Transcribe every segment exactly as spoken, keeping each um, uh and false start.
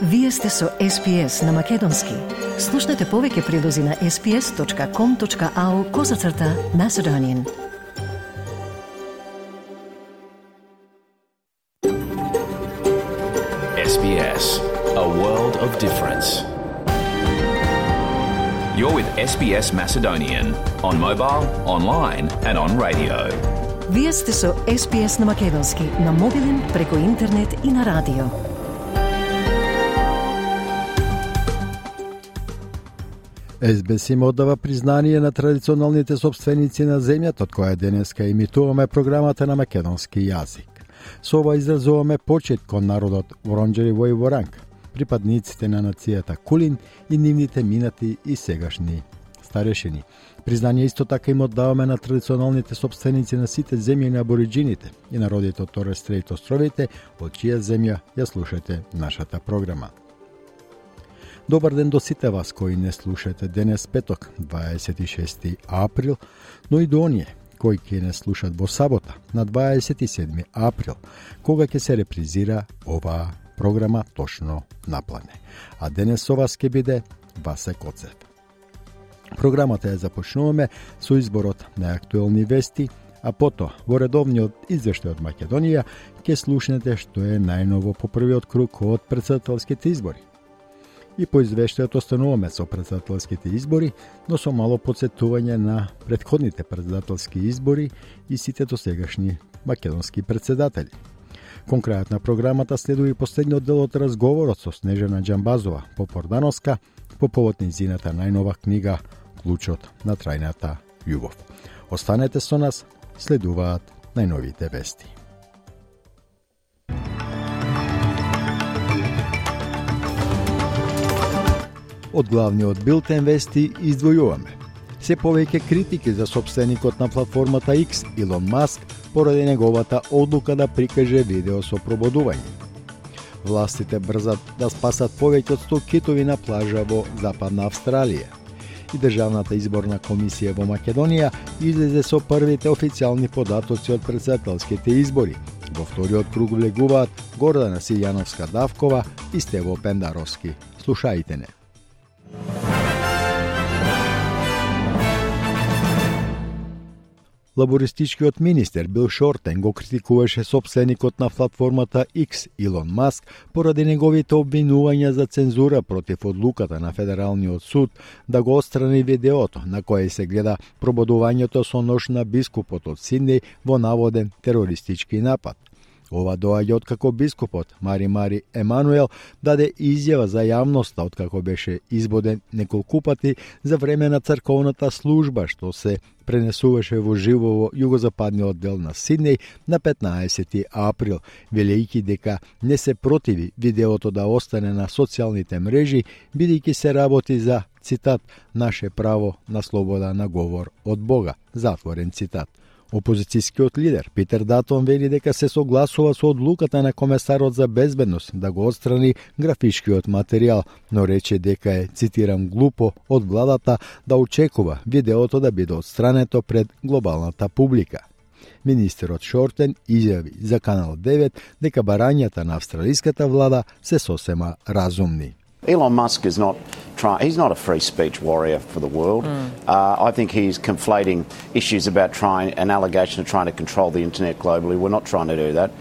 Вие сте со Ес Би Ес на Македонски. Слушнете повеќе прилози на ес би ес точка ком точка ау козацрта Macedonian. Ес Би Ес, a world of difference. You're with Ес Би Ес Macedonian on mobile, online and on radio. Вие сте со Ес Би Ес на Македонски, на мобилен, преку интернет и на радио. Ес Би Ес им оддава признание на традиционалните собственици на земјата, од која денеска имитуваме програмата на македонски јазик. Со ова изразуваме почит кон народот Воронџери во Воранг, припадниците на нацијата Кулин и нивните минати и сегашни старешини. Признание исто така им оддаваме на традиционалните собственици на сите земји на абориџините и народите од Торес Стрейт островите, од чија земја ја слушате нашата програма. Добар ден до сите вас кои не слушате денес петок, дваесет и шести април, но и до оние кои ќе не слушат во сабота, на дваесет и седми април, кога ќе се репризира оваа програма точно на плане. А денес со вас ќе биде Васе Коцев. Програмата ја започнуваме со изборот на актуелни вести, а потоа во редовниот извештај од Македонија ќе слушнете што е најново по првиот круг од претседателските избори. И по извештајот остануваме со претседателските избори, но со мало подсетување на претходните претседателски избори и сите досегашни македонски претседатели. Кон крајот на програмата следува и последниот дел од разговорот со Снежана Џамбазова Попордановска по повод нејзината најнова книга Клучот на трајната љубов. Останете со нас, следуваат најновите вести. Од главниот билтен вести издвојуваме. Се повеќе критики за собственикот на платформата Икс, Илон Маск, поради неговата одлука да прикаже видео со прободување. Властите брзат да спасат повеќе од сто китови на плажа во Западна Австралија. И Државната изборна комисија во Македонија излезе со првите официјални податоци од претседателските избори. Во вториот круг влегуваат Гордана Силјановска-Давкова и Стево Пендаровски. Слушајте не. Лабористичкиот министер Бил Шортен го критикуваше собственикот на платформата Икс, Илон Маск, поради неговите обвинувања за цензура против одлуката на Федералниот суд да го отстрани видеото на кое се гледа прободувањето со нож на бискупот од Сиднеј во наводен терористички напад. Ова доаѓа откако бискупот Мари Мари Емануел даде изјава за јавноста откако беше избоден неколку пати за време на црковната служба што се пренесуваше во живо во југозападниот дел на Сиднеј на петнаесети април, велејќи дека не се противи видеото да остане на социјалните мрежи, бидејќи се работи за, цитат, наше право на слобода на говор од Бога, затворен цитат. Опозицијскиот лидер Питер Датон вели дека се согласува со одлуката на комесарот за безбедност да го отстрани графичкиот материјал, но рече дека е, цитирам, глупо од владата да очекува видеото да биде отстрането пред глобалната публика. Министерот Шортен изјави за Канал девет дека барањата на австралиската влада се сосема разумни. Elon Musk is not try, he's not a free speech warrior for the world. Mm. Uh, I think he's conflating issues about trying an allegation of trying to control the internet globally. We're not trying to do that.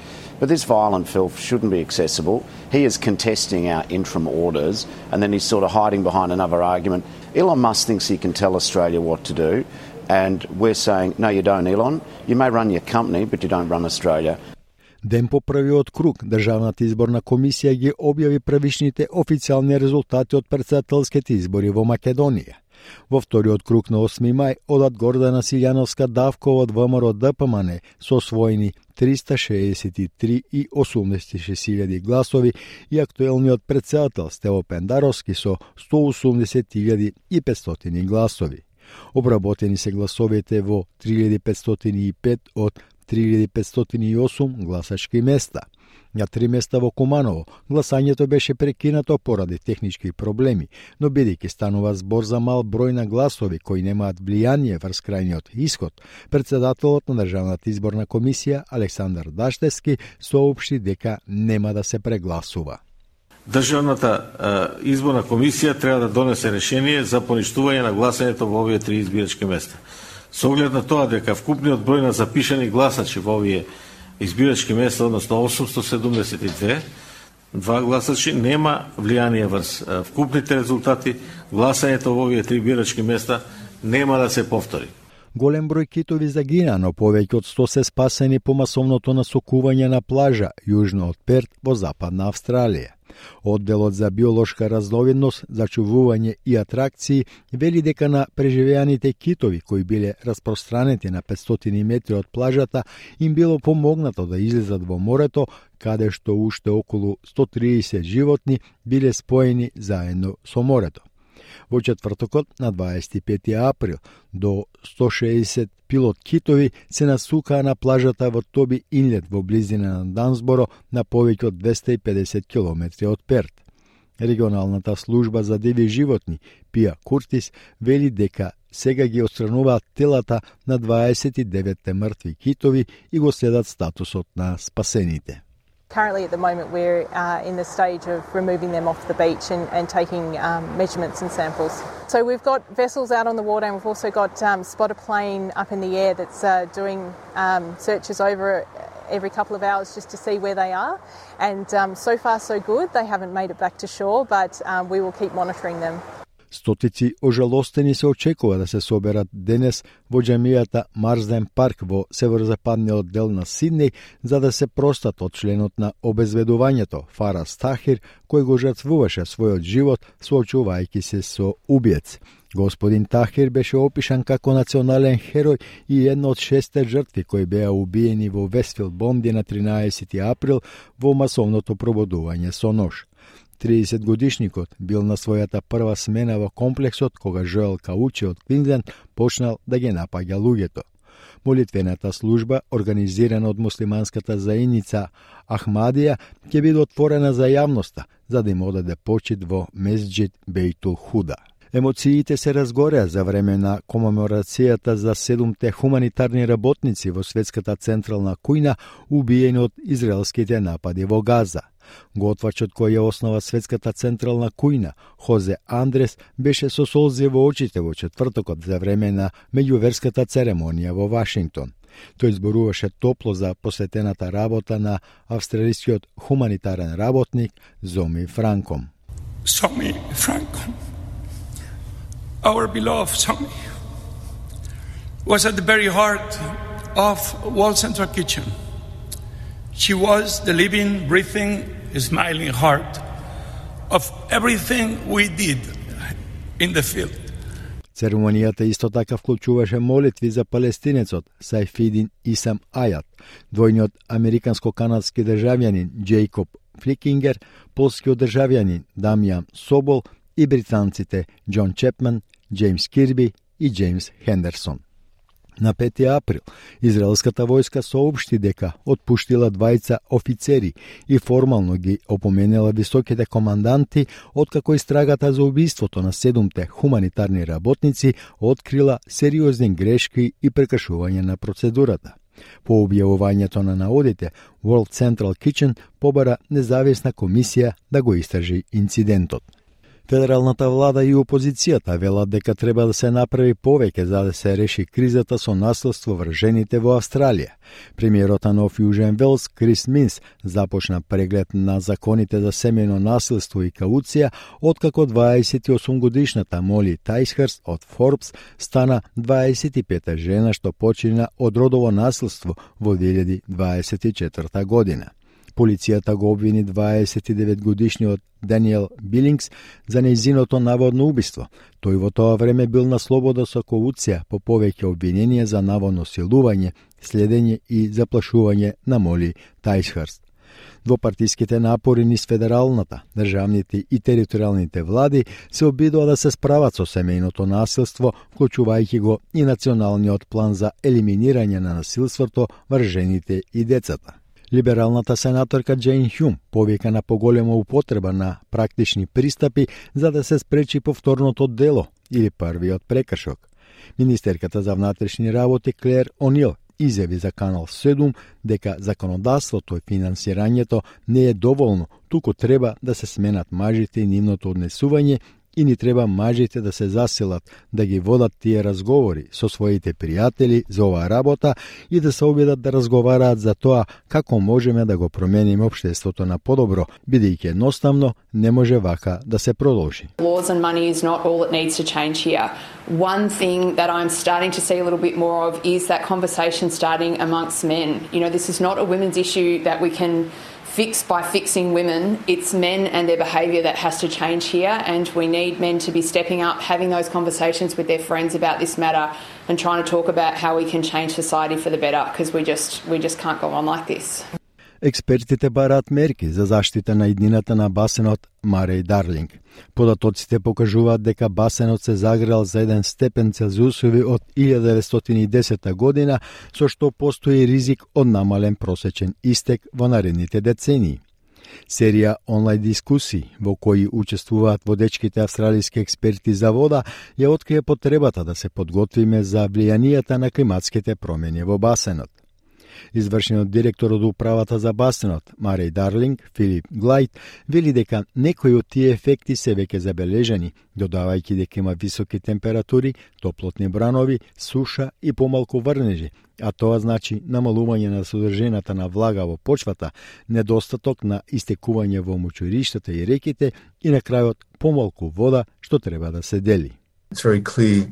But this violent filth shouldn't be accessible. He is contesting our interim orders and then he's sort of hiding behind another argument. Elon Musk thinks he can tell Australia what to do and we're saying, no you don't, Elon. You may run your company but you don't run Australia. Ден по првиот круг, Државната изборна комисија ги објави првичните официјални резултати од претседателските избори во Македонија. Во вториот круг на осми мај, одат Гордана Силјановска-Давкова од ВМРО Д П М Н со освоени триста шеесет и три и осумдесет и шест илјади гласови и актуелниот претседател Стево Пендаровски со сто осумдесет илјади и петстотини гласови. Обработени се гласовите во три илјади петстотини и пет од три илјади петстотини и осум гласачки места. На три места во Куманово гласањето беше прекинато поради технички проблеми, но бидејќи станува збор за мал број на гласови кои немаат влијание врз крајниот исход, претседателот на Државната изборна комисија Александар Даштевски соопшти дека нема да се прегласува. Државната изборна комисија треба да донесе решение за поништување на гласањето во овие три избирачки места. Со оглед на тоа дека вкупниот број на запишани гласачи во овие избирачки места, односно осумстотини седумдесет и две, два гласачи нема влијание врз вкупните резултати, гласањето во овие три избирачки места нема да се повтори. Голем број китови загина, но повеќе од сто се спасени по масовното насокување на плажа јужно од Перт во Западна Австралија. Одделот за биолошка разновидност, зачувување и атракции вели дека на преживеаните китови кои биле распространети на петстотини метри од плажата им било помогнато да излезат во морето, каде што уште околу сто триесет животни биле споени заедно со морето. Во четвртокот на дваесет и пети април до сто шеесет пилот китови се насукаа на плажата во Тоби Инлет во близина на Дансборо на повеќе од двесте и педесет километри од Перт. Регионалната служба за диви животни Пија Куртис вели дека сега ги отстрануваат телата на дваесет и деветте мртви китови и го следат статусот на спасените. Currently at the moment we're uh, in the stage of removing them off the beach and, and taking um, measurements and samples. So we've got vessels out on the water and we've also got um, spotter plane up in the air that's uh, doing um, searches over every couple of hours just to see where they are. And um, so far so good. They haven't made it back to shore, but um, we will keep monitoring them. Стотици ожалостени се очекува да се соберат денес во џамијата Марсден парк во северозападниот дел на Сиднеј за да се простат од членот на обезведувањето Фарас Тахир, кој го жртвуваше својот живот соочувајќи се со убиец. Господин Тахир беше опишан како национален херој и една од шесте жртви кои беа убиени во Вестфилд Бонди на тринаесети април во масовното пробудување со нож. триесет годишникот бил на својата прва смена во комплексот кога Жоел Каучи од Квинсленд почнал да ги напаѓа луѓето. Молитвената служба, организирана од муслиманската заедница Ахмадија, ќе биде отворена за јавноста, за да им одаде почит во Месџид Бейтул Худа. Емоциите се разгореа за време на комеморацијата за седумте хуманитарни работници во светската централна кујна убиени од израелските напади во Газа. Готвачот кој ја основа светската централна кујна, Хозе Андрес, беше со солзи во очите во четвртокот за време на меѓуверската церемонија во Вашингтон. Тој зборуваше топло за посветената работа на австралискиот хуманитарен работник Зоми Франком. Zomi Frankom, our beloved Zomi, was at the very heart of World Central Kitchen. She was the living, breathing, smiling heart of everything we did in the field. Церемонијата исто така вклучуваше молитви за палестинецот Сајфидин Исам Ајат, двојниот американско-канадски државјанин Џејкоб Фликингер, полскиот државјанин Дамјан Собол и британците Џон Чепман, Џејмс Кирби и Џејмс Хендерсон. На пети април, израелската војска соопшти дека отпуштила двајца офицери и формално ги опоменела високите команданти, откако истрагата за убиството на седумте хуманитарни работници открила сериозни грешки и прекршување на процедурата. По објавувањето на наодите, World Central Kitchen побара независна комисија да го истражи инцидентот. Федералната влада и опозицијата велат дека треба да се направи повеќе за да се реши кризата со насилство врз жените во Австралија. Премиерот на Нов Јужен Велс, Крис Минс, започна преглед на законите за семејно насилство и кауција, откако дваесет и осум годишната Моли Тајсхерст од Форбс стана дваесет и пета жена што почина од родово насилство во две илјади дваесет и четврта година. Полицијата го обвини дваесет и девет годишниот Даниел Билингс за нејзиното наводно убиство. Тој во тоа време бил на слобода со кауција по повеќе обвиненија за наводно силување, следење и заплашување на Моли Тајсхерст. Двопартиските напори низ федералната, државните и територијалните влади се обидува да се справат со семејното насилство, вклучувајќи го и националниот план за елиминирање на насилството врз жените и децата. Либералната сенаторка Џејн Хјум повика на поголема употреба на практични пристапи за да се спречи повторното дело или првиот прекршок. Министерката за внатрешни работи Клер Онил изјави за Канал седум дека законодавството и финансирањето не е доволно, туку треба да се сменат мажите и нивното однесување и ни треба мажите да се заселат, да ги водат тие разговори со своите пријатели за оваа работа и да се обидат да разговараат за тоа како можеме да го промениме општеството на подобро, бидејќи едноставно не може вака да се продолжи. Laws and money is not all that needs to change here. One thing that I'm starting to see a little bit more of is that conversation starting amongst men. You know, this is not a women's issue that we can fix by fixing women. It's men and their behaviour that has to change here, and we need men to be stepping up, having those conversations with their friends about this matter and trying to talk about how we can change society for the better, because we just we just can't go on like this. Експертите бараат мерки за заштита на иднината на басенот Марей Дарлинг. Податоците покажуваат дека басенот се загрел за еден степен Целзиусови од илјада деветстотини и десета година, со што постои ризик од намален просечен истек во наредните децении. Серија онлайн дискусии во кои учествуваат водечките австралиски експерти за вода ја открие потребата да се подготвиме за влијанијата на климатските промени во басенот. Извршениот директор од управата за басенот, Марей Дарлинг, Филип Глајд, вели дека некои од тие ефекти се веќе забележани, додавајќи дека има високи температури, топлотни бранови, суша и помалку врнежи, а тоа значи намалување на содржината на влага во почвата, недостаток на истекување во мочуриштата и реките и на крајот помалку вода што треба да се дели. It's very clear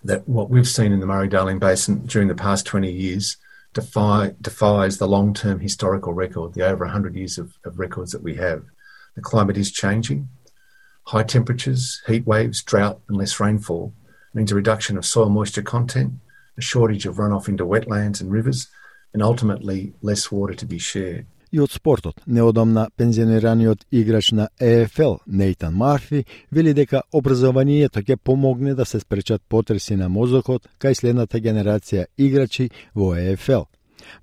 that what we've seen in the Murray-Darling Basin during the past twenty years Defy, defies the long-term historical record, the over one hundred years of, of records that we have. The climate is changing. High temperatures, heat waves, drought and less rainfall means a reduction of soil moisture content, a shortage of runoff into wetlands and rivers, and ultimately less water to be shared. И од спортот, неодамна пензионираниот играч на Е Еф Ел Нейтан Марфи вели дека образованието ќе помогне да се спречат потреси на мозокот кај следната генерација играчи во Е Еф Ел.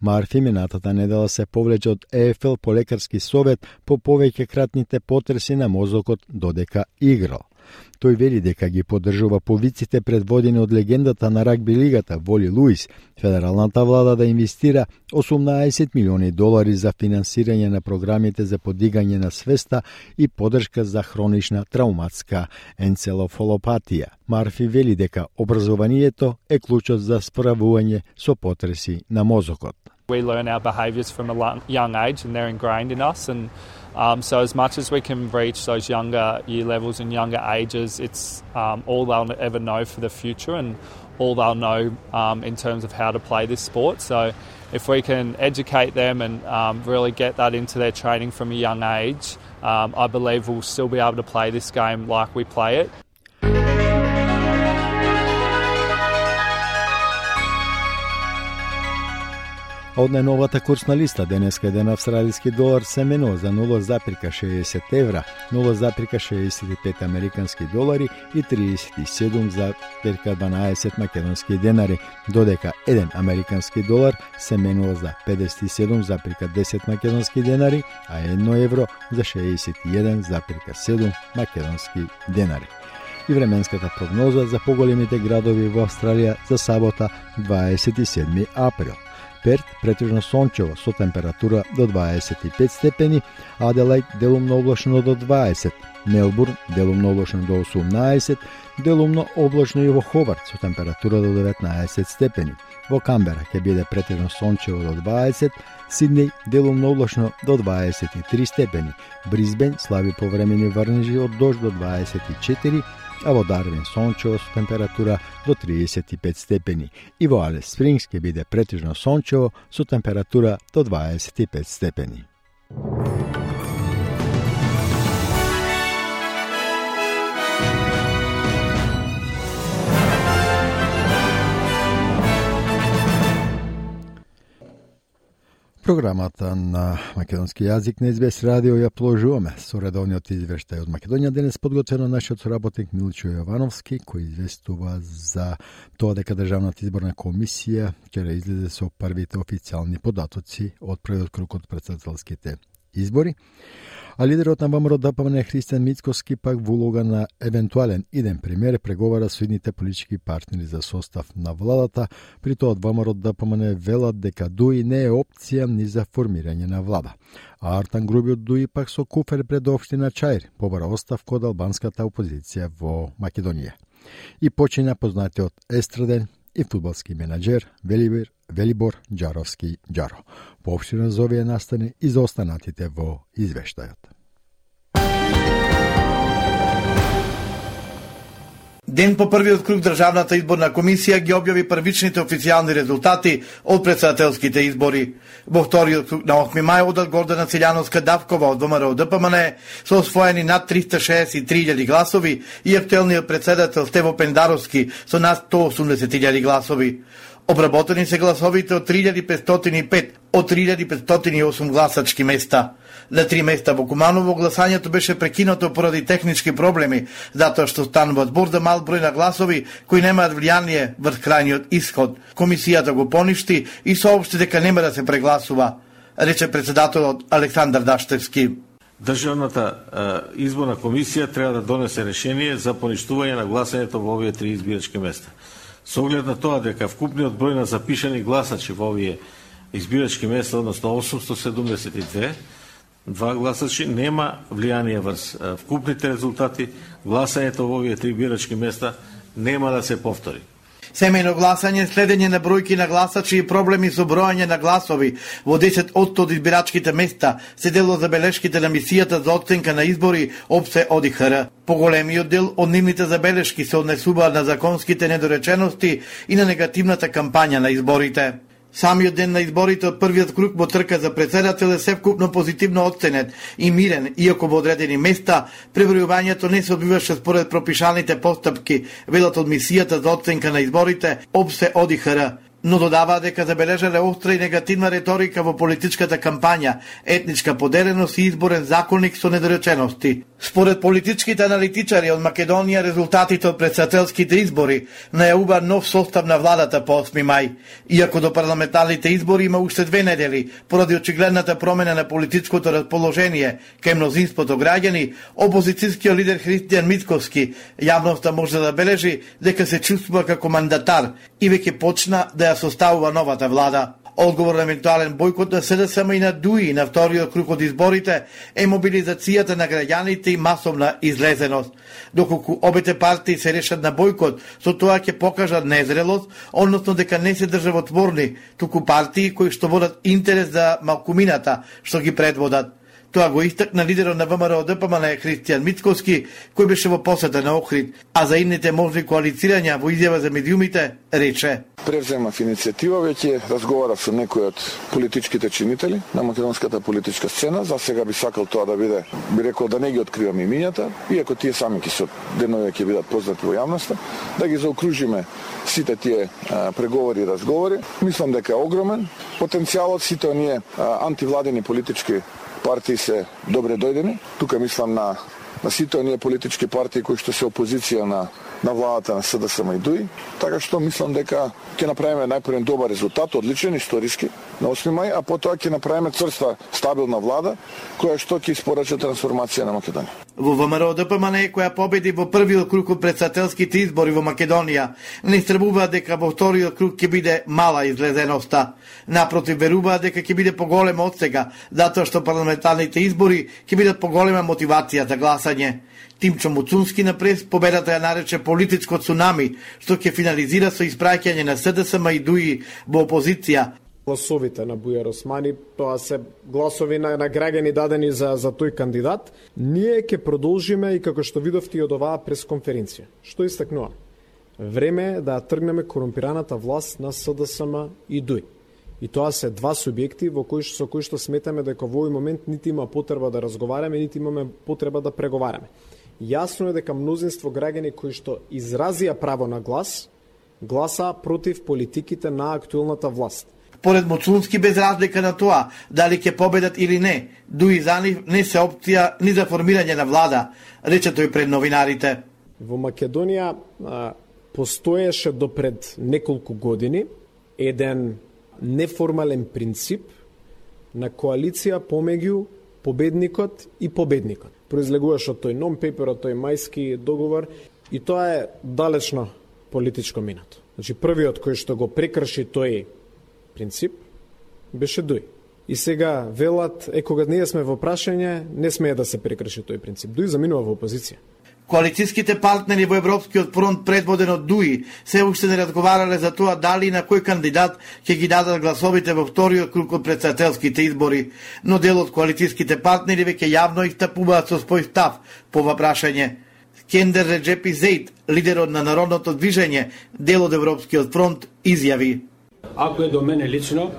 Марфи минатата недела се повлече од Е Еф Ел по лекарски совет по повеќе кратните потреси на мозокот додека играл. Тој вели дека ги поддржува повиците предводени од легендата на рагби лигата Воли Луис, федералната влада да инвестира осумнаесет милиони долари за финансирање на програмите за подигање на свеста и поддршка за хронична трауматска енцелофалопатија. Марфи вели дека образованието е клучот за справување со потреси на мозокот. We learn our behaviours from a young age and they're ingrained in us, and um, so as much as we can reach those younger year levels and younger ages, it's um, all they'll ever know for the future and all they'll know um, in terms of how to play this sport. So if we can educate them and um, really get that into their training from a young age, um, I believe we'll still be able to play this game like we play it. Од најновата курсна листа денеска еден австралиски долар се менува за нула запирка шеесет евра, нула запирка шеесет и пет американски долари и триесет и седум запирка дванаесет македонски денари, додека еден американски долар се менува за педесет и седум запирка десет македонски денари, а едно евро за шеесет и еден запирка седум македонски денари. И временската прогноза за поголемите градови во Австралија за сабота дваесет и седми април. Перт претежно сончево со температура до дваесет и пет степени, Аделајд делумно облачно до дваесет, Мелбурн делумно облачно до осумнаесет, делумно облачно и во Хобарт со температура до деветнаесет степени. Во Камбера ќе биде претежно сончево до дваесет, Сиднеј делумно облачно до дваесет и три степени, Брисбен слаби повремени врнежи од дожд до дваесет и четири, а во Дарвин сончево со температура до триесет и пет степени. И во Алис Спрингс ќе биде претежно сончево со температура до дваесет и пет степени. Програмата на македонски јазик на Ес Би Ес радио ја продолжуваме со редовниот извештај од Македонија. Денес подготвено нашиот соработник Милчо Јовановски, кој известува за тоа дека Државната изборна комисија ќе излезе со првите официјални податоци од првиот круг од претседателските избори. А лидерот на ВМРО Д П М Н Христијан Мицкоски пак во улога на евентуален иден премиер преговара со идните политички партнери за состав на владата, при тоа од ВМРО Д П М Н велат дека ДУИ не е опција ни за формирање на влада. А Артан Груби од ДУИ пак со куфер пред општина Чаир побара оставка од албанската опозиција во Македонија. И почиња познатиот естраден и фудбалски менаџер Велибор, Велибор Џаровски Џаро. Поопштирно за овие настани и за останатите во извештајот. Ден по првиот круг Државната изборна комисија ги објави првичните официјални резултати од претседателските избори. Во вториот круг на осми мај одат Гордана Циљановска Давкова од ВМРО Д П М Н со освоени над триста шеесет и три илјади гласови и актуелниот претседател Стево Пендаровски со над сто осумдесет илјади гласови. Обработени се гласовите од три илјади петстотини и пет од три илјади петстотини и осум гласачки места. На три места во Куманово гласањето беше прекинато поради технички проблеми, затоа што станува збор за мал број на гласови кои немаат влијание врз крајниот исход. Комисијата го поништи и соопшти дека нема да се прегласува, рече претседателот Александар Даштевски. Државната е, изборна комисија треба да донесе решение за поништување на гласањето во овие три избирачки места. Со оглед на тоа дека вкупниот број на запишани гласачи во овие избирачки места, односно осумсто седумдесет и две, два гласачи нема влијание врз вкупните резултати, гласањето во овие три избирачки места нема да се повтори. Семејно гласање, следење на бројки на гласачи и проблеми со бројање на гласови во десет одсто од избирачките места се дел од забелешките на мисијата за оценка на избори ОПСЕ О Д И Х Р. Поголемиот дел од нивните забелешки се однесуваат на законските недоречености и на негативната кампања на изборите. Самиот ден на изборите од првиот круг во трка за претседател е севкупно позитивно оценет и мирен, иако во одредени места пребројувањето не се одбиваше според пропишаните постапки, велат од мисијата за оценка на изборите ОПСЕ О Д И Х Р. Но додаваа дека забележале остра и негативна реторика во политичката кампања, етничка поделеност и изборен законник со недоречености. Според политичките аналитичари од Македонија, резултатите од претседателските избори најавува нов состав на владата по осми мај. Иако до парламентарните избори има уште две недели, поради очигледната промена на политичкото расположение кај мнозинството граѓани, опозицијскиот лидер Христијан Мицкоски јавноста може да забележи дека се чувствува како мандатар и веќе почна да ја составува новата влада. Одговор на евентуален бојкот на С Д С М и на ДУИ на вториот круг од изборите е мобилизацијата на граѓаните и масовна излезеност. Доколку обете партии се решат на бојкот, со тоа ќе покажат незрелост, односно дека не се државотворни, туку партии кои што водат интерес за малкумината што ги предводат. Тоа го истакна лидерот на ВМРО Д П М Н Христијан Мицкоски, кој беше во посета на Охрид, а за идните можни коалицирања во изјава за медиумите рече: Превземав иницијатива, веќе разговарав со некои од политичките чинители на македонската политичка сцена. За сега би сакал тоа да биде, би рекол да не ги откривам имињата, иако тие сами ќе со денови ќе бидат познати во јавноста, да ги заокружиме сите тие а, преговори и разговори. Мислам дека е огромен потенцијалот, сите оние а, антивладени политички партии се добре дојдени. Тука мислам на, на сите оние политички партии кои што се опозиција на, на владата на С Д С М и ДУИ. Така што мислам дека ќе направиме најпрвен добар резултат, одличен, историски, на осми мај, а потоа ќе направиме црста, стабилна влада, која што ќе испорача трансформација на Македонија. Во ВМРО Д П М Н, која победи во првиот круг од претседателските избори во Македонија, не истребува дека во вториот круг ќе биде мала излезеноста. Напротив, верува дека ќе биде поголема од сега, затоа што парламентарните избори ќе бидат поголема мотивација за гласање. Тимчо Муцунски на прес победата ја нарече политичко цунами, што ќе финализира со испраќање на С Д С М и ДУИ во опозиција. Гласовите на Бујар Османи, тоа се гласови на, на граѓани дадени за, за тој кандидат. Ние ќе продолжиме и како што видовте и од оваа пресконференција. Што истакнува? Време е да тргнеме корумпираната власт на С Д С М и ДУИ. И тоа се два субјекти во кои со кои што сметаме дека во овој момент нити има потреба да разговараме, нити имаме потреба да преговараме. Јасно е дека мнозинство граѓани кои што изразија право на глас, гласа против политиките на актуелната власт. Поред Муцунски, без разлика на тоа дали ќе победат или не, ДУИ за нив не се опција ни за формирање на влада, рече тој пред новинарите. Во Македонија а, постоеше до пред неколку години еден неформален принцип на коалиција помеѓу победникот и победникот. Произлегуваш од тој non-paper, од тој мајски договор, и тоа е далечно политичко минато. Значи, првиот кој што го прекрши тој принцип беше Дуј. И сега велат, е кога ние сме во прашање, не смее да се прекрши тој принцип. Дуј заминува во опозиција. Коалицијските партнери во Европскиот фронт, предводен од Дуи, се уште не разговарале за тоа дали и на кој кандидат ќе ги дадат гласовите во вториот круг од претседателските избори, но дел од коалицијските партнери веќе јавно истапуваат со свој став по ова прашање. Кендер Реджепи Зейд, лидерот на Народното движење, дел од Европскиот фронт, изјави: Ако е до мене лично,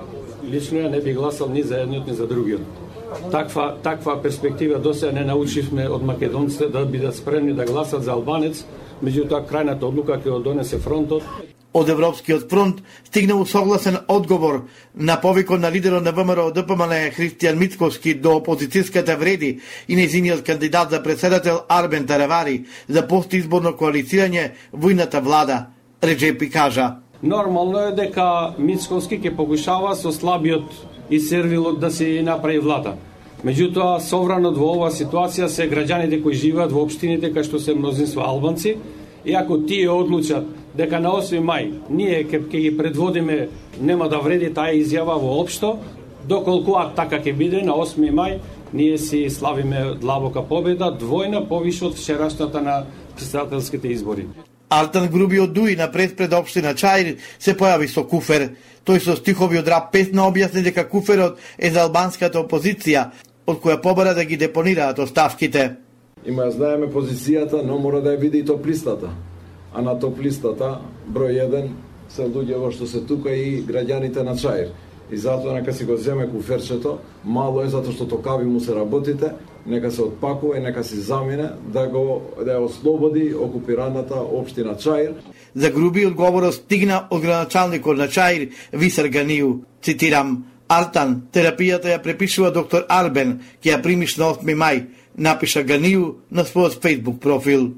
лично ја не би гласал ни за едниот ни за другиот. Таква, таква перспектива досега не научивме од македонците да бидат спремни да гласат за албанец, меѓутоа крајната одлука ќе ја донесе фронтот. Од Европскиот фронт стигнал согласен одговор на повикот на лидерот на ВМРО Д П М Л Христијан Мицковски до опозицијската вреди и нејзиниот кандидат за председател Арбен Таравари за постизборно коалицирање во идната влада. Реджепи кажа: Нормално е дека Мицковски ќе покушава со слабиот и сервилот да се направи влада. Меѓутоа, совранот во оваа ситуација се граѓаните кои живеат во општините кај што се мнозинство албанци, и ако тие одлучат дека на осми мај ние ќе ги предводиме, нема да вреди таа изјава воопшто, доколку така ќе биде на осми мај, ние си славиме длабока победа, двојна повише од вчерашната на претседателските избори. Артан Груби од Дуи на пред општина Чаир се појави со куфер. Тој со стихови од рап песна објасни дека куферот е за албанската опозиција, од која побара да ги депонираат оставките. Има ја знаеме позицијата, но мора да ја види и топ-листата. А на топ-листата, број еден, се луѓе што се тука и граѓаните на Чаир. И затоа нека си го земе куферчето, мало е затоа што токави му се работите, нека се отпакува и нека си замине да го да ја ослободи окупираната општина Чаир. За Груби одговорот стигна од градоначалникот на Чаир Висар Ганију. Цитирам: Артан, терапијата ја препишува доктор Арбен, ќе ја примиш на осми мај, напиша Ганију на својот Facebook профил.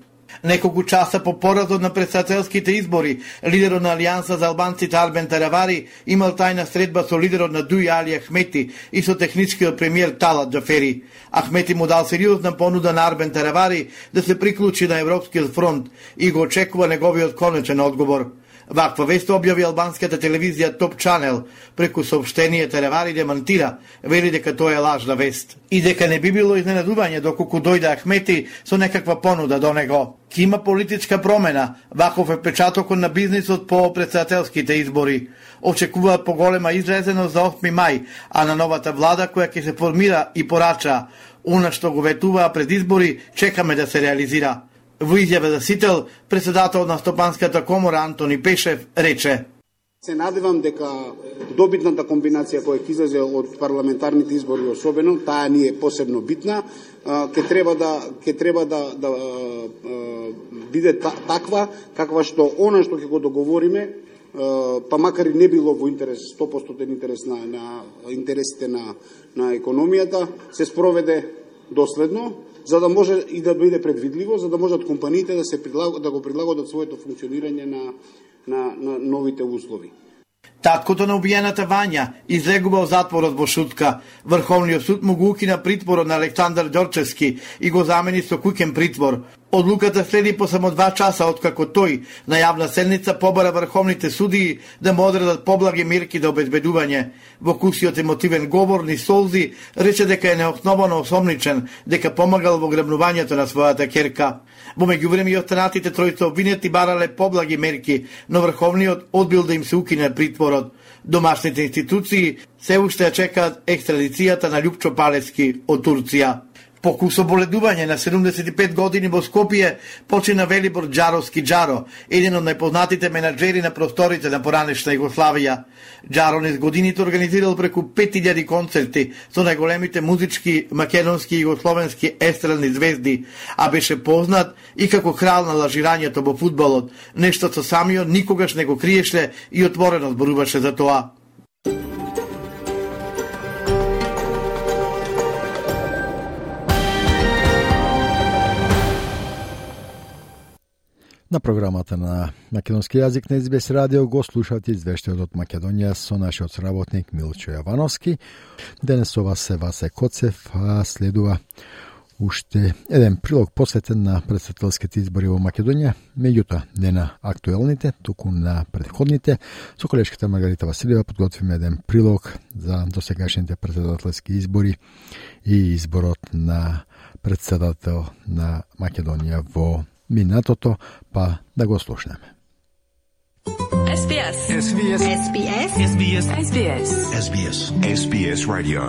Неколку часа по поразот на претседателските избори, лидерот на Алијанса за албанците Арбен Таравари имал тајна средба со лидерот на Дуи Али Ахмети и со техничкиот премиер Талат Џафери. Ахмети му дал сериозна понуда на Арбен Таравари да се приклучи на Европскиот фронт и го очекува неговиот конечен одговор. Ваква вест објави албанската телевизија Топ Чанел преку соопштение. Таравари демантира, вели дека тоа е лажна вест и дека не би било изненадување доколку дојде Ахмети со некаква понуда до него. Ки има политичка промена, ваков е печатокот на бизнисот по претседателските избори. Очекуваат поголема излезеност за осми мај, а на новата влада која ќе се формира и порача она што го ветуваа пред избори, чекаме да се реализира. Во изјава за Сител, председател на Стопанската комора Антони Пешев рече: Се надевам дека добитната комбинација која ќе излезе од парламентарните избори, особено таа ни е посебно битна, ќе треба да ќе треба да да биде таква каква што она што ќе го договориме, па макар и не било во интерес сто проценти интерес на, на интересите на на економијата, се спроведе доследно, за да може и да биде предвидливо, за да можат компаниите да се прилагод, да го прилагодат своето функционирање на на на новите услови. Таткото на убиената Вања излегува во затворот во Шутка. Врховниот суд му го укина притворот на Александар Ѓорчевски и го замени со куќен притвор. Одлуката следи по само два часа откако тој на јавна седница побара врховните судии да му одредат поблаги мерки за обезбедување. Во кусиот емотивен говор ни солзи рече дека е неосновано осомничен, дека помагал во грабнувањето на својата ќерка. Во меѓувреме и останатите тројца обвинети барале поблаги мерки, но врховниот одбил да им се укине притворот. Домашните институции се уште чекаат екстрадицијата на Љупчо Палевски од Турција. Поку соболедување на седумдесет и пет години во Скопје почина Велибор Џаровски Џаро, еден од најпознатите менаџери на просторите на поранешна Југославија. Џаро низ годините организирал преку пет илјади концерти со најголемите музички, македонски и југословенски естрадни звезди, а беше познат и како крал на лажирањето во фудбалот, нешто со самиот никогаш не го криеше и отворено зборуваше за тоа. На програмата на македонски јазик на Ес Би Ес радио го слушавте извештајот од Македонија со нашиот соработник Милчо Јовановски. Денес ова се Васе Коцев, а следува уште еден прилог посветен на претседателските избори во Македонија, меѓутоа не на актуелните, туку на претходните. Со колешката Маргарита Василева подготвиме еден прилог за досегашните претседателски избори и изборот на претседател на Македонија во минатото, па да го слушнеме. Ес Би Ес. Ес Би Ес. Ес Би Ес. Ес Би Ес. Ес Би Ес. Ес Би Ес. Ес Би Ес радио.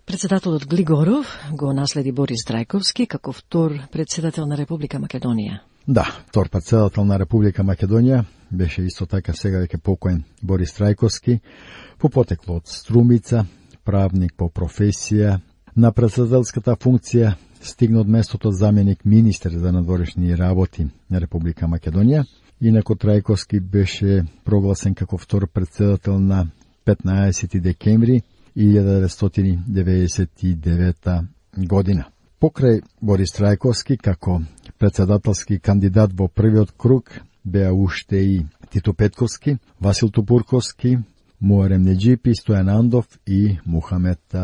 Председателот Глигоров го наследи Борис Трајковски како втор председател на Република Македонија. Да, втор председател на Република Македонија беше исто така сега веќе покоен Борис Трајковски, по потекло од Струмица, правник по професија. На председателската функција стигна од местото заменик министер за надворешни работи на Република Македонија. Инако Трајковски беше прогласен како втор председател на петнаесети декември илјада деветстотини деветдесет и девета година. Покрај Борис Трајковски како председателски кандидат во првиот круг беа уште и Тито Петковски, Васил Тупурковски, Муарем Неџипи, Стојан Андов и Мухамед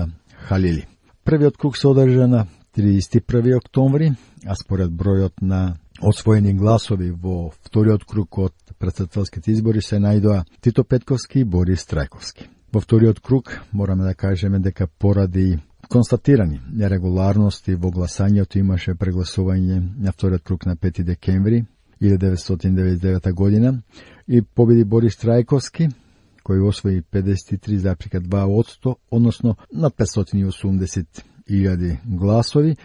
Халили. Првиот круг се одржа на триесет и први октомври, а според бројот на освоени гласови во вториот круг од претседателските избори се најдоа Тито Петковски и Борис Трајковски. Во вториот круг мораме да кажеме дека поради констатирани нерегуларности во гласањето имаше прегласување на вториот круг на пети декември илјада деветстотини деветдесет и девета година и победи Борис Трајковски, кој освои педесет и три запирка два одсто, односно над петстотини и осумдесет илјади гласови,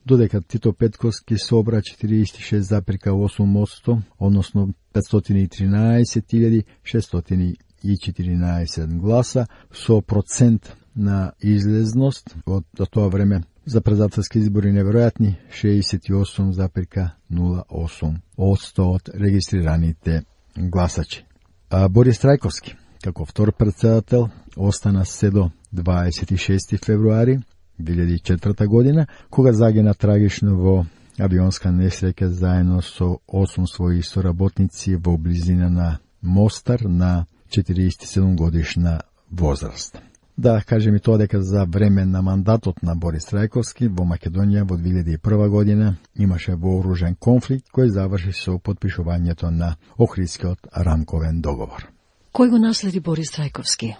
додека Тито Петковски собра четириесет и шест запирка осум одсто, односно петстотини и тринаесет илјади шестстотини и четиринаесет гласа, со процент на излезност од до тоа време за председателски избори неверојатни шеесет и осум запирка нула осум одсто од регистрираните гласачи. А Борис Трајковски како втор председател остана се до дваесет и шести февруари две илјади и четврта година, кога загина трагично во авионска несреќа заедно со осум своји соработници во близина на Мостар на четириесет и седум годишна возраст. Да кажем и тоа дека за време на мандатот на Борис Трајковски во Македонија во две илјади и прва година имаше вооружен конфликт кој заврши со потпишувањето на Охридскиот рамковен договор. Кој го наследи Борис Трајковски?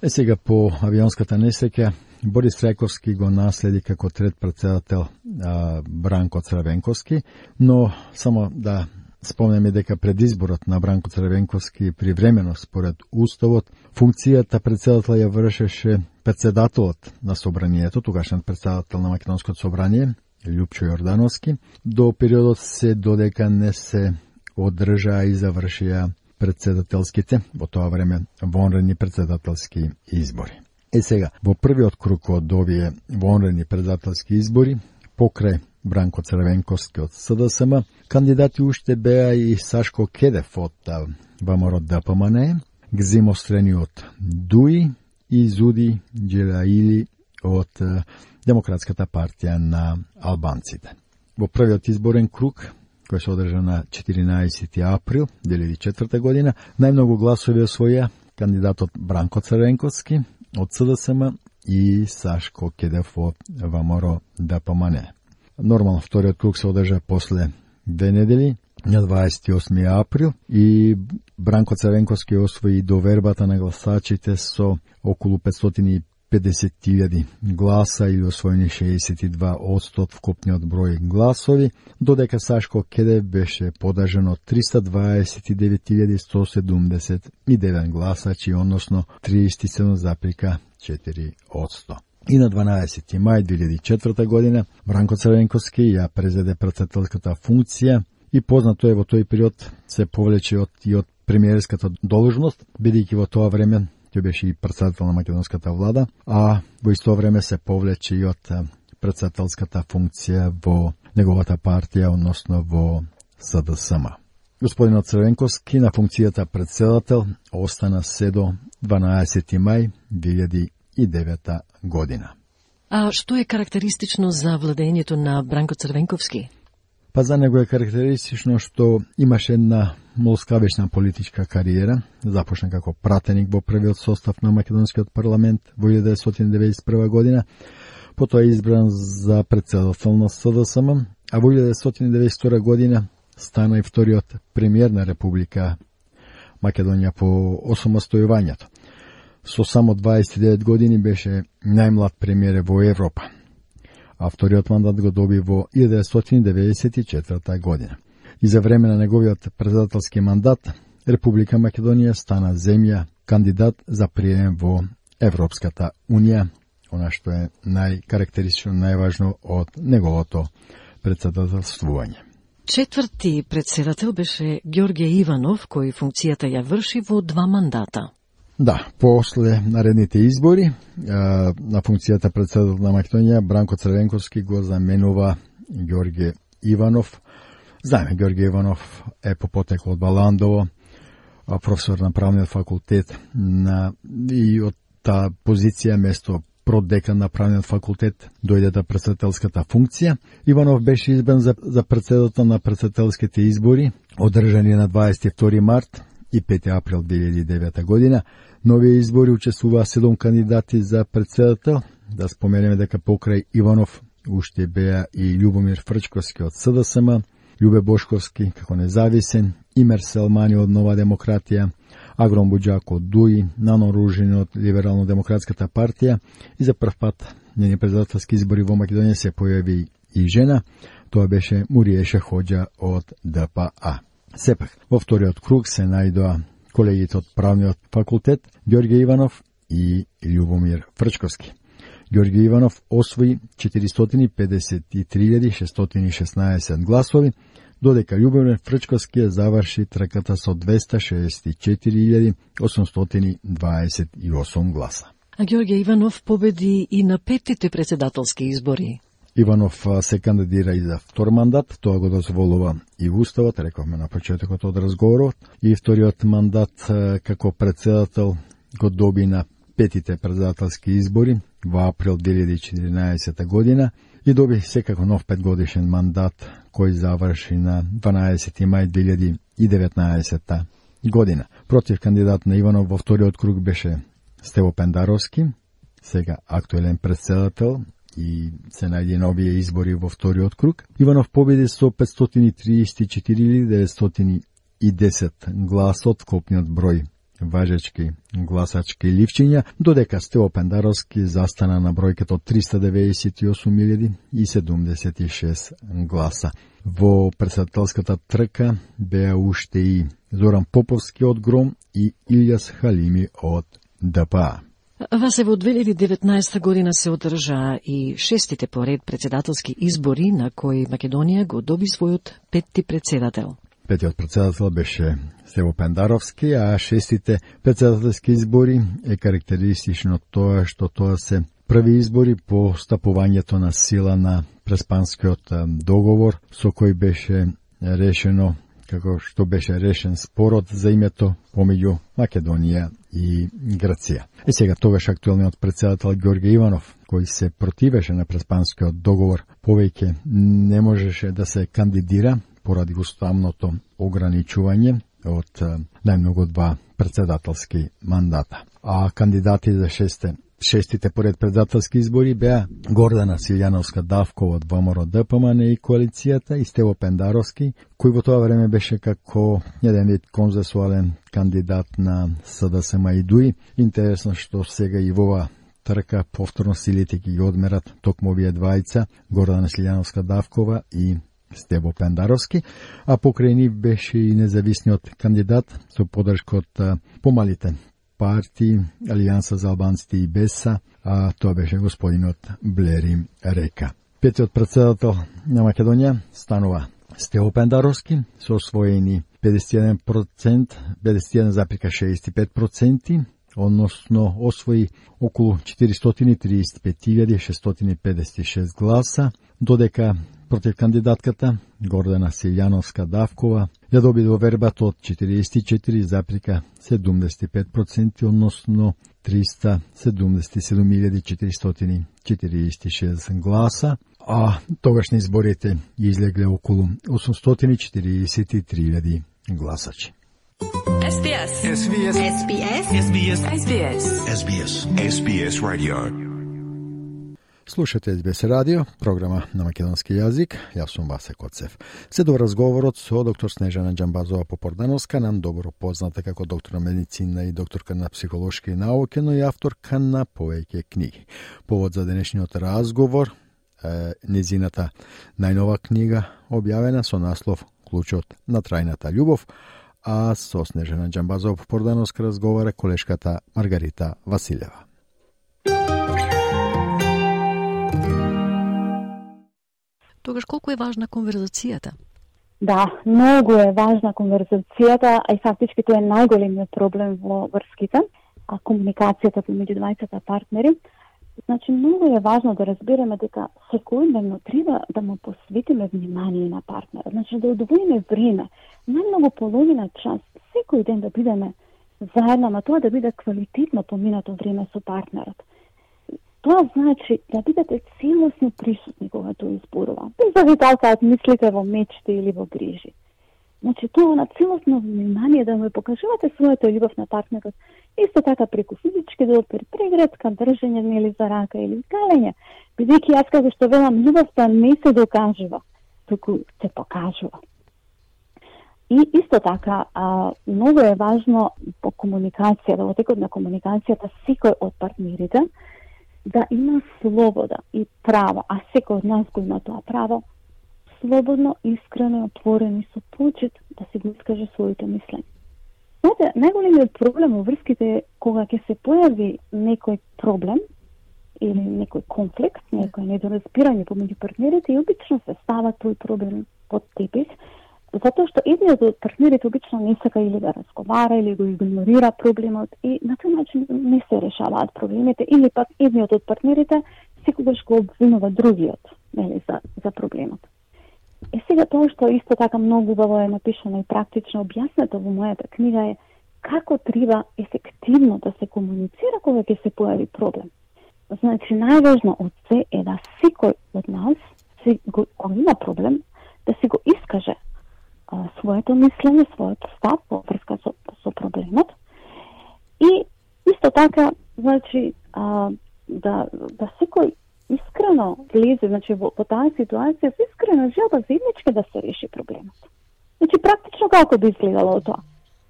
Е сега по авионската несреќа Борис Трајковски го наследи како трет председател а, Бранко Црвенковски, но само да спомнеме дека пред изборот на Бранко Црвенковски привремено според уставот функцијата председател ја вршеше председателот на собранието, тогашниот председател на Македонското собрание Љупчо Јордановски, до периодот се додека не се одржаа и завршија председателските во тоа време вонредни председателски избори. Е сега, во првиот круг од овие вонредни председателски избори, покрај Бранко Црвенковски од С Д С М, кандидати уште беа и Сашко Кедев од ВМРО Д П М Н Е, Гзимо Стрени од Дуи и Зуди Джелаили од Демократската партија на албанците. Во првиот изборен круг, кој се одржа на четиринаесети април две илјади и четврта година, најмногу гласови освоја кандидатот Бранко Црвенковски од С Д С М и Сашко Кедев од ВМРО Д П М Н Е. Нормално вториот круг се одржа после две недели, на дваесет и осми април, и Бранко Црвенковски освои довербата на гласачите со околу петстотини и педесет илјади гласа или освоени шеесет и два одсто од вкупниот број гласови, додека Сашко Кедев беше подажен од триста дваесет и девет илјади сто седумдесет и девет гласачи, односно триесет и седум запирка четири одсто. И на дванаесети мај две илјади и четврта година Бранко Црвенковски ја презеде председателската функција и познато е во тој период се повлече од и од премиерската должност, бидејќи во тоа време тој беше и председател на македонската влада, а во исто време се повлече и од председателската функција во неговата партија, односно во С Д С М. Господинот Црвенковски на функцијата председател остана се до дванаесети мај две илјади и девета година. А што е карактеристично за владењето на Бранко Црвенковски? Па за него е карактеристично што имаше една молскавечна политичка кариера, започна како пратеник во првиот состав на македонскиот парламент во илјада деветстотини деветдесет и прва година, потоа е избран за председател на С Д С М, а во илјада деветстотини деветдесет и втора година стана и вториот премиер на Република Македонија по осамостојувањето. Со само дваесет и девет години беше најмлад премиер во Европа, а вториот мандат го доби во илјада деветстотини деветдесет и четврта година. И за време на неговиот председателски мандат, Република Македонија стана земја кандидат за прием во Европската Унија, она што е најкарактеристично, најважно од неговото председателствување. Четврти председател беше Ѓорѓе Иванов, кој функцијата ја врши во два мандата. Да, после наредните избори на функцијата председател на Македонија Бранко Црвенковски го заменува Ѓорѓе Иванов. Знаеме, Ѓорѓе Иванов е по потекло од Баландово, професор на правниот факултет на, и од таа позиција место продекан на правниот факултет дојде до председателската функција. Иванов беше избран за, за председател на председателските избори, одржани на дваесет и втори март и пети април две илјади и девета година. Нови избори учествуваа седум кандидати за председател. Да споменеме дека покрај Иванов уште беа и Љубомир Фрчковски од С Д С М, Љубе Бошковски како независен, Имер Селмани од Нова демократија, Агрон Буџак од Д У И, Нано Ружин од Либерално-демократската партија и за прв пат на председателски избори во Македонија се појави и жена, тоа беше Муриеша Хоџа од Д П А. Сепак, во вториот круг се најдоа колегите од правниот факултет Ѓорѓе Иванов и Љубомир Фрчковски. Ѓорѓе Иванов освои четиристотини педесет и три илјади шестстотини и шеснаесет гласови, додека Љубомир Фрчковски ја заврши трката со двеста шеесет и четири илјади осумстотини дваесет и осум гласа. А Ѓорѓе Иванов победи и на петите председателски избори. Иванов се кандидира и за втор мандат, тоа го дозволува и Уставот, рековме на почетокот од разговорот, и вториот мандат како председател го доби на петите председателски избори во април две илјади и четиринаесета година и доби секако нов петгодишен мандат кој заврши на дванаесети мај две илјади и деветнаесета година. Против кандидат на Иванов во вториот круг беше Стево Пендаровски, сега актуелен председател, и се најде на овие избори во вториот круг. Иванов победи со петстотини триесет и четири илјади деветстотини и десет гласот, копниот број важечки гласачки ливчиња, додека Стево Пендаровски застана на бројката од триста деветдесет и осум илјади и седумдесет и шест гласа. Во председателската трка беа уште и Зоран Поповски од Гром и Илјас Халими од Д П А. Васе во две илјади и деветнаесета година се одржаа и шестите поред председателски избори на кои Македонија го доби својот петти председател. Петиот председател беше Стево Пендаровски, а шестите председателски избори е карактеристично тоа што тоа се први избори по стапувањето на сила на Преспанскиот договор, со кој беше решено како што беше решен спорот за името помеѓу Македонија и Грција. Е сега тогаш актуелниот председател Ѓорѓе Иванов, кој се противеше на Преспанскиот договор, повеќе не можеше да се кандидира поради уставното ограничување од најмногу два председателски мандата. А кандидати за шесте Шестите поред председателски избори беа Гордана Силјановска Давкова од Во М Р Д П М Н и коалицијата и Стево Пендаровски, кој во тоа време беше како еден вид конзенсуален кандидат на С Д С М и Д У И. Интересно што сега и во ова трка повторно силите ги одмерат токму овие двајца, Гордана Силјановска Давкова и Стево Пендаровски, а покрај нив беше и независниот кандидат со поддршка од помалите партии, Алијанса за албанците и Беса, а тоа беше господинот Блери Река. Петиот председател на Македонија станува Стево Пендаровски со освоени педесет и еден процент, педесет и еден запирка шеесет и пет проценти, односно освои околу четиристотини триесет и пет илјади шестстотини педесет и шест гласа, додека против кандидатката Гордана Силјановска Давкова ја доби довербата од четириесет и четири запирка седумдесет и пет проценти, односно триста седумдесет и седум илјади четиристотини четириесет и шест гласа, а тогаш на изборите излегле околу осумстотини и четириесет и три илјади гласачи. Ес Би Ес. Ес Би Ес. Ес Би Ес. Ес Би Ес. Ес Би Ес. Ес Би Ес. Ес Би Ес Radio. Слушате Ес Би Ес радио, програма на македонски јазик. Јас сум Васе Коцев. Следува разговорот со доктор Снежана Џамбазова Попордановска, нам добро позната како доктор на медицина и докторка на психолошки науки, но и авторка на повеќе книги. Повод за денешниот разговор е незината најнова книга, објавена со наслов Клучот на трајната љубов, а со Снежана Џамбазова Попордановска разговара колешката Маргарита Василева. Тогаш колку е важна конверзацијата? Да, многу е важна конверзацијата, а и фактички тоа е најголемиот проблем во врските, а комуникацијата помеѓу двајцата партнери. Значи, многу е важно да разбереме дека секојдневно треба да му посветиме внимание на партнерот. Значи, да одвоиме време, најмногу половина час, секој ден да бидеме заедно, ама тоа да биде квалитетно поминато време со партнерот. Тоа значи да бидете целосно присутни кога тоа изборува, без да ви талкаат мислите во мечти или во грижи. Значи, тоа на целосно внимание да му покажувате својата љубов на партнерот, исто така преку физички допир, прегратка, држење нели за рака или галење, бидејќи јас како што велам, љубовта не се докажува, туку се покажува. И исто така, а, многу е важно по комуникацијата, во текот на комуникацијата, секој од партнерите да има слобода и право, а секој од нас го има тоа право, слободно, искрено и отворено и со почит да се го искаже своите мислење. Знаете, најголемиот проблем во врските е кога ќе се појави некој проблем или некој конфликт, некој недоразбирање помеѓу партнерите и обично се става тој проблем под тепих, затоа што едниот од партнерите обично не сака или да разговара, или го игнорира проблемот и на тој начин не се решаваат проблемите, или пак едниот од партнерите секогаш го обвинува другиот, нели, за, за проблемот. Е сега тоа што исто така многу убаво е напишано и практично објаснето во мојата книга е како треба ефективно да се комуницира кога ќе се појави проблем. Значи, најважно од се е да секој од нас, кога има проблем, да си го искаже а, своето мислење, својот став во врска со, со проблемот. И исто така, значи, а, да, да секој искрено влезе, значи, во, во таа ситуација, со искрена желба заеднички да се реши проблемот. Значи, практично како би изгледало тоа?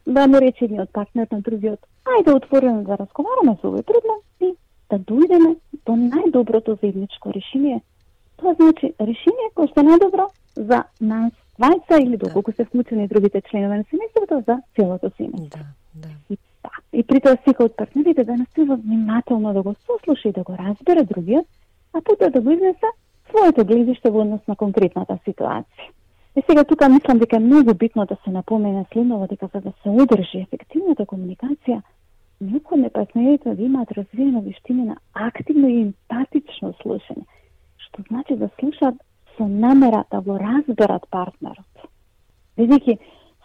Да му рече едниот партнер на другиот, ајде отворено да разговараме за овој проблем и да дојдеме до најдоброто заедничко решение. Тоа значи решение кој што е најдобро за нас двајца или доколку се вклучени и другите членови на семејството за целото семејство. Да, да. И, да. И при тоа секој од партнерите да настава внимателно да го сослуша и да го разбере другиот, а потоа да го изнесе своето гледиште во однос на конкретната ситуација. И сега тука мислам дека е многу битно да се напомене следново, дека за да се одржи ефективната комуникација, необходно е партнерите да имаат развиена вештина на активно и емпатично слушање, што значи да слушаат со намера да го разберат партнерот. Бидејќи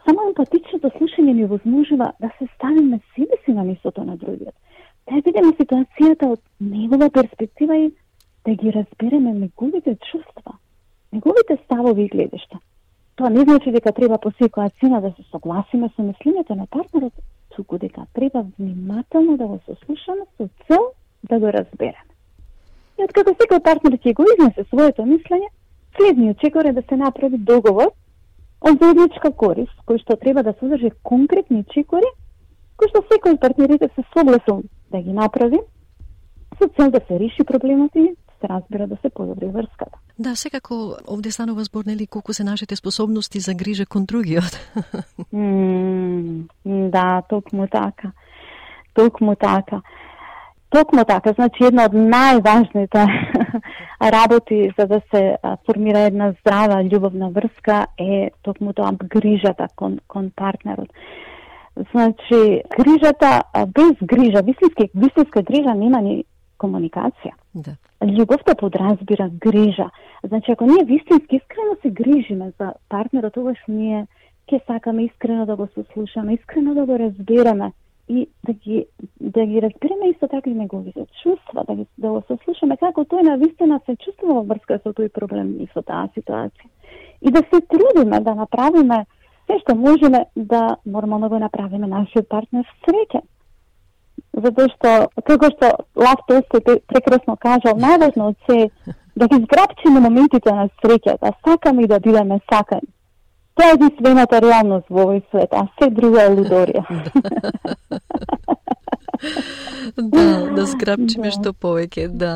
само емпатичното слушање ни возможува да се ставиме себе си на местото на другиот, да ја видиме ситуацијата од негова перспектива и да ги разбереме неговите чувства, неговите ставови и гледишта. Тоа не значи дека треба по секоја цена да се согласиме со мислењето на партнерот, туку дека треба внимателно да го сослушаме со цел да го разбереме. И откако секој партнер ќе го изнесе своето мислење, следниот чекор е да се направи договор од заедничка корист, кој што треба да содржи конкретни чекори, кои што секој од партнерите се согласил да ги направи, со цел да се реши проблемот и се разбира да се подобри врската. Да, секако овде станува збор, нели, колку се нашите способности за грижа кон другиот. mm, да, токму така. Токму така. Токму така, значи една од најважните работи за да се формира една здрава љубовна врска е токму тоа грижата кон, кон партнерот. Значи, грижата, без грижа, вистинска, вистинска грижа нема ни комуникација. Да. Љубовта подразбира грижа. Значи, ако ние вистински искрено се грижиме за партнерот, тогаш ние ќе сакаме искрено да го сослушаме, искрено да го разбереме и да ги да ги разбереме исто така и неговите чувства, да ги да го сослушаме како тој навистина се чувствува во врска со тој проблем и со таа ситуација. И да се трудиме да направиме се што можеме да нормално го направиме нашиот партнер среќен. Затоа што, како што Лав Толстој прекрасно кажал, најважно од се да ги зграпчиме моментите на среќа, да сакаме и да бидеме сакани. Тоа е единствената реалност во овој свет, а се друго е лудорија. Да, да зграпчиме да. Што повеќе, да.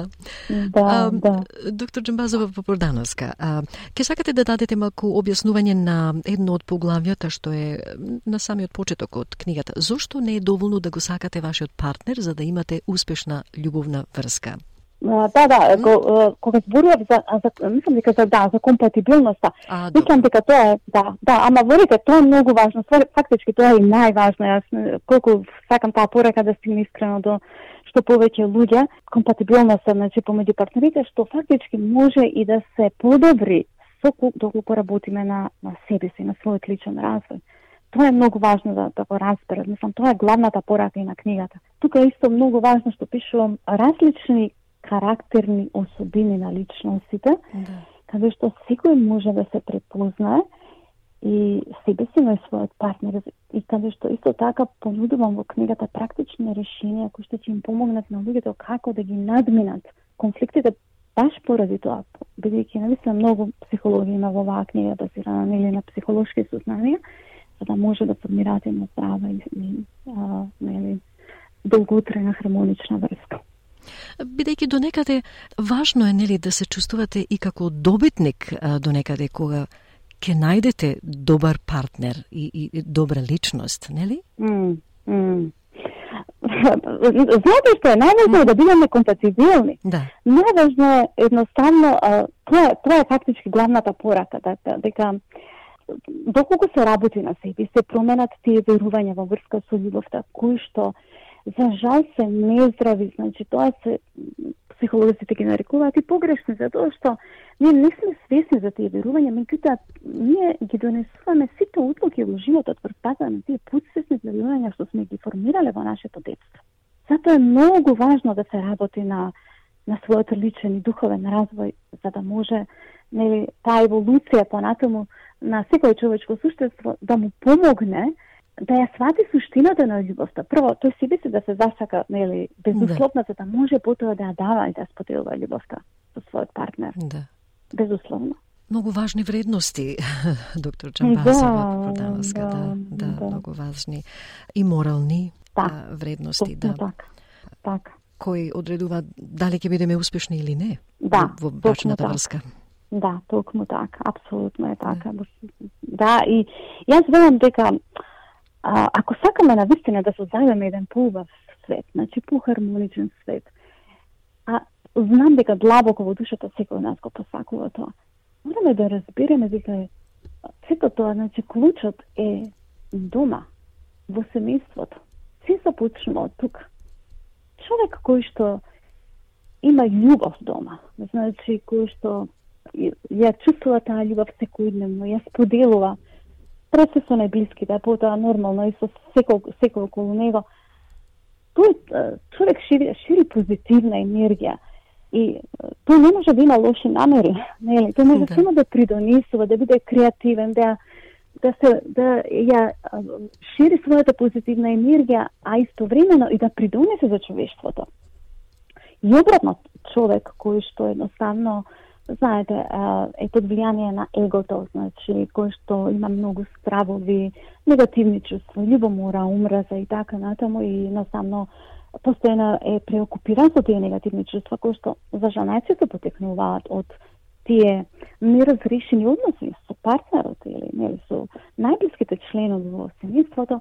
Да, а, да. Доктор Джамбазова Попордановска, а, ке сакате да дадете малку објаснување на едно од поглавјата што е на самиот почеток од книгата. Зошто не е доволно да го сакате вашиот партнер за да имате успешна љубовна врска? Да, да, го, кога зборував за, за мислам дека за да, за компатибилноста. А, мислам дека тоа е, да, да, ама верите, тоа е многу важно. Фактички тоа е и најважно. Јас колку сакам таа порака да стигне искрено до што повеќе луѓе, компатибилноста, значи помеѓу партнерите, што фактички може и да се подобри со доколку работиме на на себе си, на својот личен развој. Тоа е многу важно да, да го разберат. Мислам, тоа е главната порака и на книгата. Тука е исто многу важно што пишувам различни карактерни особини на личностите, да. Каде што секој може да се препознае и себе си на својот партнер, и каде што исто така понудувам во книгата практични решенија кои што ќе им помогнат на луѓето како да ги надминат конфликтите баш поради тоа, бидејќи навистина многу психологија има во оваа книга базирана нели на психолошки сознанија, за да може да формираат една здрава и, и а, нели долготрајна хармонична врска. Бидејќи до некаде важно е нели да се чувствувате и како добитник а, до некаде кога ќе најдете добар партнер и, и добра личност, нели? Mm, mm. Знаете што е најважно е да бидеме компатибилни. Да. Најважно е едноставно а, тоа, тоа е фактички главната порака, дека, дека доколку се работи на себе, се променат тие верувања во врска со љубовта, кои што за жал се нездрави, значи тоа се психолозите ги нарекуваат и погрешни, затоа што ние не сме свесни за тие верувања, меѓутоа ние ги донесуваме сите одлуки во животот врз база на тие подсвесни верувања што сме ги формирале во нашето детство. Затоа е многу важно да се работи на на својот личен и духовен развој, за да може нели таа еволуција понатаму на секој човечко суштество да му помогне да ја свати суштината на љубовта. Прво, тој себе си да се засака, нели, безусловно, за да може потоа да ја дава и да споделува љубовта со својот партнер. Да. Безусловно. Многу важни вредности, доктор Джамбазова Попордановска, да, да, да, да, многу важни и морални да, а, вредности, да. Така, така. Кои одредува дали ќе бидеме успешни или не да, во брачната врска. Да, токму така, апсолутно е така. Да, да и јас велам дека А, ако сакаме навистина да создадеме еден поубав свет, значи по-хармоничен свет, а знам дека длабоко во душата секој од нас го посакува тоа, мораме да разбереме дека сето тоа, значи клучот е дома, во семејството. Се започнува од тука. Човек кој што има љубов дома, значи кој што ја чувствува таа љубов секојдневно, ја споделува пред со најблиските, потоа нормално и со секој, секој околу него. Тој човек шири, шири позитивна енергија и тој не може да има лоши намери, нели? Тој може да. само да придонесува, да биде креативен, да да се да ја шири својата позитивна енергија, а истовремено и да придонесе за човештвото. И обратно, човек кој што едноставно знаете, е под влијание на егото, значи, кој што има многу стравови, негативни чувства, љубомора, омраза и така натаму, и едноставно постојано е преокупиран со тие негативни чувства, кои што за жал најчесто потекнуваат од тие неразрешени односи со партнерот или нели со најблиските членови во семејството,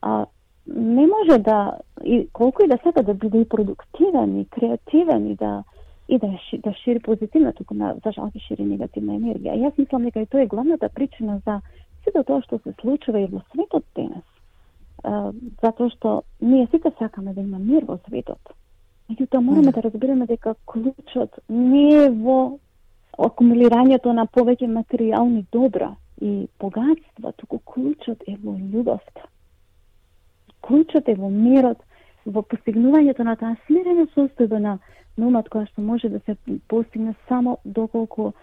а не може да, и колку и да сака да биде и продуктивен, и креативен, и да и да, да шири позитивна, туку на, за жал шири негативна енергија. Јас мислам дека и тоа е главната причина за сето тоа што се случува и во светот денес. Uh, затоа што ние сите сакаме да има мир во светот. Меѓутоа мораме да разбереме дека клучот не е во акумулирањето на повеќе материјални добра и богатства, туку клучот е во љубовта. клучот е во мирот, во постигнувањето на таа смирена состојба на умот, која што може да се постигне само доколку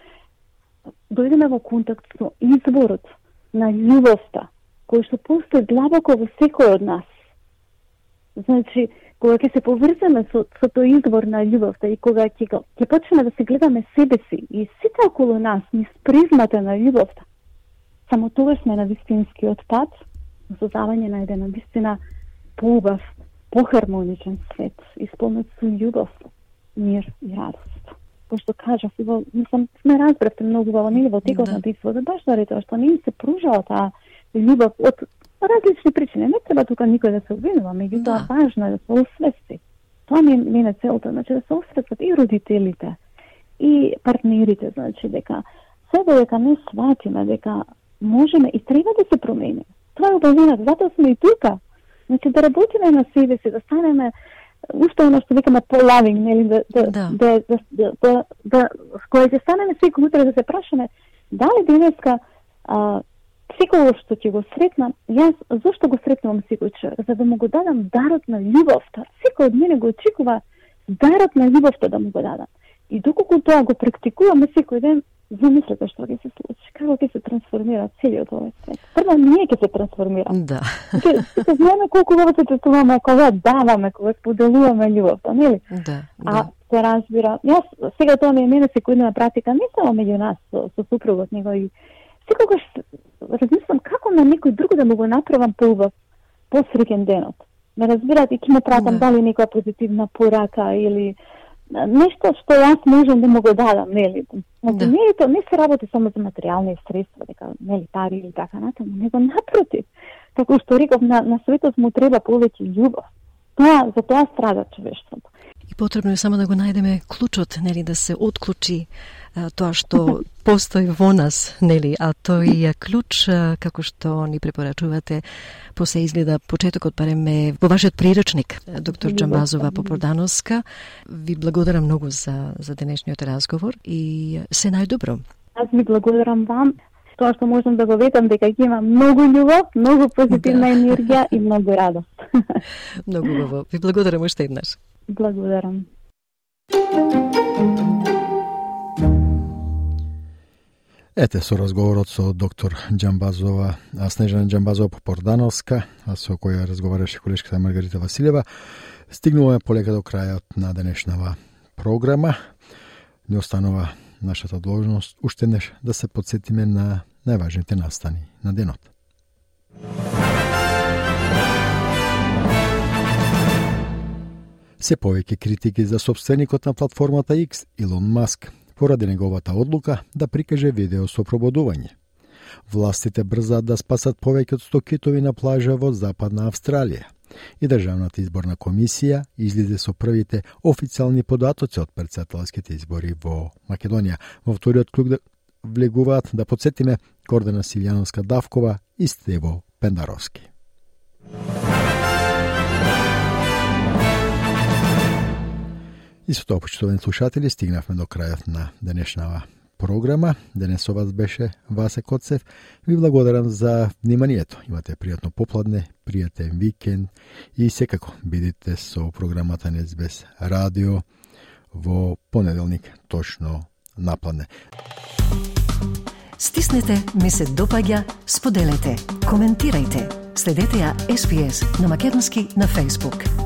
дојдеме во контакт со изворот на љубовта, кој што постои длабоко во секој од нас. Значи, кога ќе се поврземе со, со тој извор на љубовта и кога ќе, ќе почнеме да се гледаме себе си и сите околу нас низ призмата на љубовта, само тогаш сме на вистинскиот пат, создавање на еден навистина поубав, похармоничен свет, исполнет со љубов, мир и радост. Кој што кажав, мислам, сме разбравте многу во нели во текот на битвата, баш заради тоа што не им се пружала таа љубов од различни причини. Не треба тука никој да се обвинува, меѓутоа важно е да се освести. Тоа ми е целта, значи да се освестат и родителите, и партнерите, значи дека се додека не сватиме дека можеме и треба да се промениме. Тоа е обавената, затоа сме и тука. Значи да работиме на себе си, да станеме уште оно што викаме по-лавинг, нели, да да да да да, да, да кога ќе станеме секој утре да се прашаме дали денеска а, секој што ќе го сретнам, јас зошто го сретнувам секој човек, за да му го дадам дарот на љубовта. Секој од мене го очекува дарот на љубовта да му го дадам. И доколку тоа го практикуваме секој ден, замислете што ќе се случи, како ќе се трансформира целиот овој свет. Прво ние ќе се трансформираме. Да. Ќе знаеме колку го се чувствуваме кога даваме, кога споделуваме љубовта, нели? Да. А се разбира, јас сега тоа ми е мене секојдневна практика, не само меѓу нас со, со супругот, него и секогаш размислам како на некој друг да му го направам поубав, посреќен денот. Ме разбирате, ќе ме пратам да. Дали некоја позитивна порака или нешто што јас можам да му го дадам, нели? Значи, да. Нели тоа не се работи само за материјални средства, дека нели пари или така натаму, него напротив. Како што реков, на, на светот му треба повеќе љубов. Тоа, за тоа страда човештвото. И потребно е само да го најдеме клучот, нели, да се отклучи а, тоа што постои во нас, нели, а тој е клуч, а, како што ни препорачувате, посе изгледа почетокот барем е во вашиот приручник, доктор Џамбазова Попордановска. Ви благодарам многу за за денешниот разговор и се најдобро. Аз ви благодарам вам. Тоа што можам да го ветам дека ќе има многу љубов, многу позитивна да. енергија и многу радост. Многу убаво. Ви благодарам уште еднаш. Благодарам. Ете со разговорот со доктор Џамбазова, Снежана Џамбазова Попордановска, а со која разговараше колешката Маргарита Василева, стигнуваме полека до крајот на денешнава програма. Не останува нашата должност уште неш да се подсетиме на најважните настани на денот. Се повеќе критики за собственикот на платформата X, Илон Маск, поради неговата одлука да прикаже видео со пробудување. Властите брзаат да спасат повеќе од сто китови на плажа во Западна Австралија. И Државната изборна комисија излезе со првите официјални податоци од претседателските избори во Македонија. Во вториот круг да влегуваат, да подсетиме, Гордана Силјановска-Давкова и Стево Пендаровски. И со тоа, почитувани слушатели, стигнавме до крајот на денешнава програма. Денес со вас беше Васе Коцев. Ви благодарам за вниманието. Имате пријатно попладне, пријатен викенд и секако бидете со програмата на Ес Би Ес Радио во понеделник точно напладне. Стиснете, ми се допаѓа, споделете, коментирајте. Следете ја Ес Би Ес на македонски на Facebook.